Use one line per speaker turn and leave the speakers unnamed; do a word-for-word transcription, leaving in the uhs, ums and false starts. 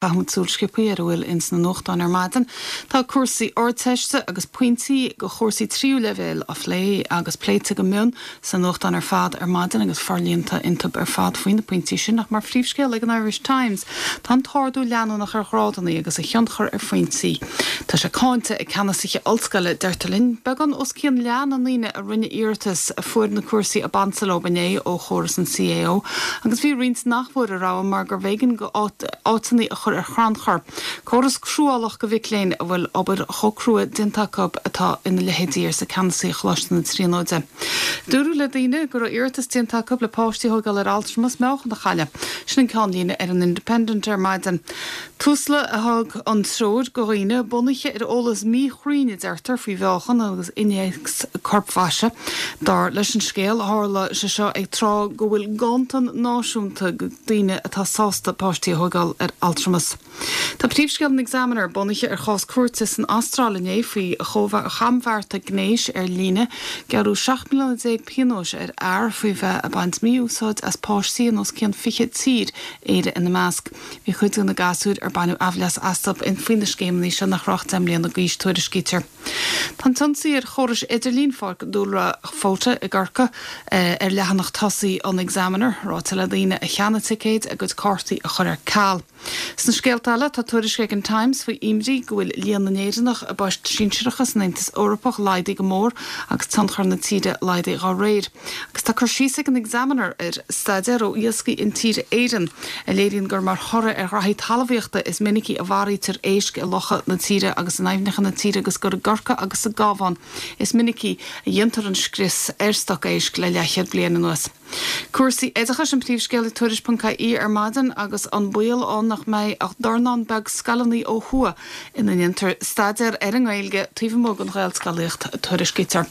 Caithfimid súil sciobtha ar a bhfuil ins na nuachtáin ar maidin. Tá cúrsaí Ardteiste agus pointí go chúrsaí tríú leibhéal á phlé agus pléite go mion sa nuachtán ar fad ar maidin agus forlíonta iontu ar fad faoi na pointí sin ach mar phríomhscéal ag an Irish Times. Tá an t-ardú leanúnach ar ghrádanna agus a thionchar ar phointí. Tá sé cáinte ag ceannasaithe ollscoile deirtear linn beagán os cionn leath na ndaoine a rinne iarratas a fuair na cúrsaí ab ansa leo inné ó chóras an CAO, agus bhí roinnt nach bhfuair a rogha mar gur b'éigean áiteanna a chur ar chrannchur. Córas cruálach go mhic léinn a bhfuil obair chomh crua déanta acu atá ina leithéidí arsa ceannasaí Choláiste na Tríonóide. Dúradh le daoine go raibh iarratas déanta acu le páistí a thógáil ar altramas meáchan a chailleadh. Sin an ceannlíne ar an Independent ar maidin. Tusla a thug an treoir go dhaoine bunaithe ar eolas míchruinn a deirtear faoi mheáchan agus innéacs corpmhaise. Dar leis an scéal tharla sé seo ag tráth go bhfuil ganntan náisiúnta daoine atá sásta páistí a thógáil ar altramas. Tá príomhscéal an Examiner bunaithe ar chás cúirte san Astráil inné faoi chambhearta gnéis ar líne gearradh seacht mbliana déag pionóis ar fhear faoi bheith ag baint mí-úsáid as páistí in os cionn fiche tír Éire ina measc. Bhí cuid de na gasúir ar baineadh aimhleas astu faoi na scéimeanna seo nach raibh deich mbliana d'aois tuairiscítear. Tá an t-ionsaí ar chórais idirlín Pháirc Dúlra Fota i gCorcaigh ar leathanach tosaigh an Examiner, ráite le daoine a cheannaigh ticéid a gcuid cártaí a chur ar ceal. Sna scéalta eile tá tuairisc ag an Times faoi imní go bhfuil líon na nÉireannach i bpoist sinsearacha san Aontas Eorpach laghdaithe go mór agus tionchar na tíre laghdaithe dá réir. Agus tá cur síos ag an Examiner ar staidéar ó Iascaigh Intíre Éireann a léiríonn gur mar thoradh ar ghraithí talmhaíochta is minicí a mharaítear éisc i locha na tíre agus in aibhneacha na tíre agus gur i gCorcaigh agus sa gCabhán is minicí a dhéantar an scrios ar stoc éisc le leathchéad bliain anuas. Cúrsaí oideachais an príomhscéal i Tuairisc.ie ar maidin agus an baol ann nach mbeidh ach dornán beag scoileanna ó thuaidh ina ndéantar staidéar ar an nGaeilge taobh amuigh den Ghaelscolaíocht tuairiscítear.